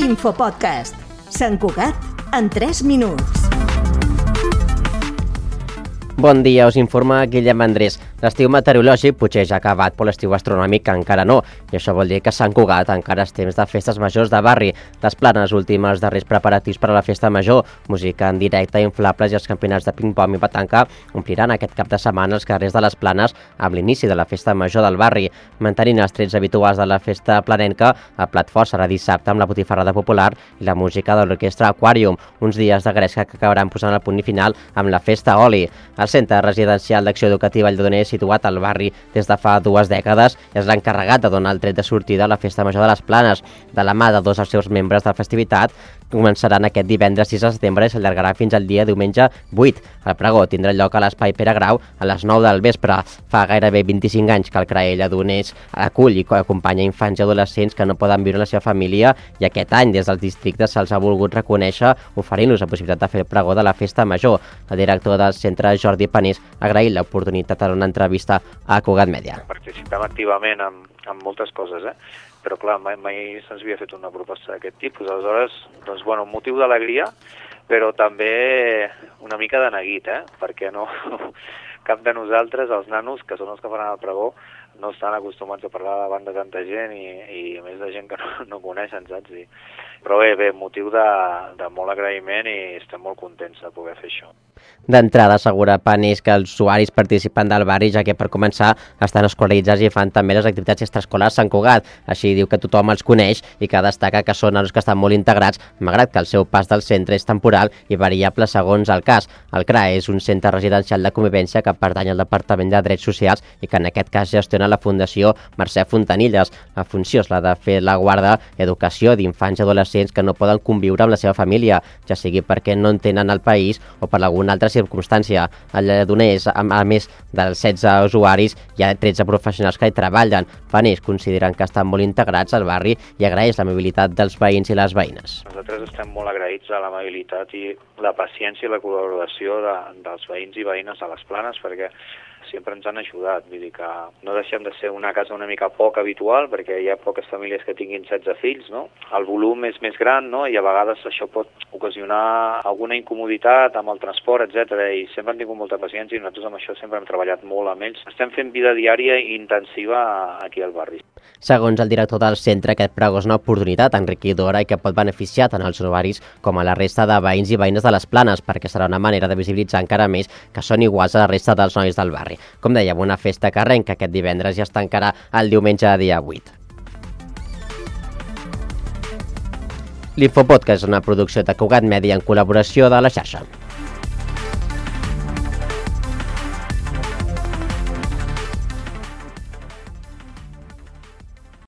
Infopodcast. Sant Cugat en 3 minuts. Bon dia, us informa Guillem Andrés. L'estiu meteorològic potser ja ha acabat, però l'estiu astronòmic encara no. I això vol dir que Sant Cugat encara és temps de festes majors de barri. Les Planes, últims darrers preparatius per a la festa major, música en directe, inflables i els campionats de ping-pong i petanca ompliran aquest cap de setmana els carrers de les Planes amb l'inici de la festa major del barri. Mantenint els trets habituals de la festa planenca, el plat fort serà dissabte amb la botifarrada popular i la música de l'orquestra Aquarium, uns dies de gresca que acabaran posant el punt final amb la festa Oli. El Centre Residencial d'Acció Educativa Lledoners, situat al barri des de fa 2 dècades, és l'encarregat de donar el tret de sortida a la festa major de les Planes. De la mà de 2 dels seus membres de la festivitat, començaran aquest divendres 6 de setembre i s'allargarà fins al dia diumenge 8. El pregó tindrà lloc a l'Espai Pere Grau a les 9 del vespre. Fa gairebé 25 anys que el CRAE Lledoners acull i acompanya infants i adolescents que no poden viure la seva família i aquest any des dels districtes se'ls ha volgut reconèixer oferint-los la possibilitat de fer el pregó de la festa major. El director del centre, Jordi Panís, ha agraït l'oportunitat en una entrevista a Cugat Mèdia. Participem activament en moltes coses, però clar, mai se'ns havia fet una proposta d'aquest tipus. Aleshores, doncs, bueno, un motiu d'alegria, però també una mica de neguit, perquè no, cap de nosaltres, els nanos, que són els que faran el pregó, no estan acostumats a parlar davant de tanta gent i a més de gent que no coneixen, saps? Però bé, motiu de molt agraïment i estem molt contents de poder fer això. D'entrada, assegura Panís que els usuaris participen del barri, ja que per començar estan escolaritzats i fan també les activitats extraescolars Sant Cugat. Així diu que tothom els coneix i que destaca que són els que estan molt integrats, malgrat que el seu pas del centre és temporal i variable segons el cas. El CRAE és un centre residencial de convivència que pertany al Departament de Drets Socials i que en aquest cas gestiona la Fundació Mercè Fontanilles. La funció és la de fer la guarda i educació d'infants i adolescents que no poden conviure amb la seva família, ja sigui perquè no entenen el país o per alguna altra circumstància. El Lledoners, a més dels 16 usuaris, hi ha 13 professionals que hi treballen. Panís consideren que estan molt integrats al barri i agraeix l'amabilitat dels veïns i les veïnes. Nosaltres estem molt agraïts a l'amabilitat i la paciència i la col·laboració dels veïns i veïnes a les Planes, perquè sempre ens han ajudat. Vull dir que no deixem de ser una casa una mica poc habitual, perquè hi ha poques famílies que tinguin 16 fills, no? El volum és més gran, no? I a vegades això pot ocasionar alguna incomoditat amb el transport, etc. I sempre han tingut molta paciència i nosaltres amb això sempre hem treballat molt amb ells. Estem fent vida diària i intensiva aquí al barri. Segons el director del centre, aquest pregó és una oportunitat enriquidora i que pot beneficiar tant els usuaris com a la resta de veïns i veïnes de les Planes, perquè serà una manera de visibilitzar encara més que són iguals a la resta dels nois del barri. Com dèiem, una festa que arrenca aquest divendres i es tancarà el diumenge dia 8. L'Infopodcast és una producció de Cugat Mèdia en col·laboració de la xarxa.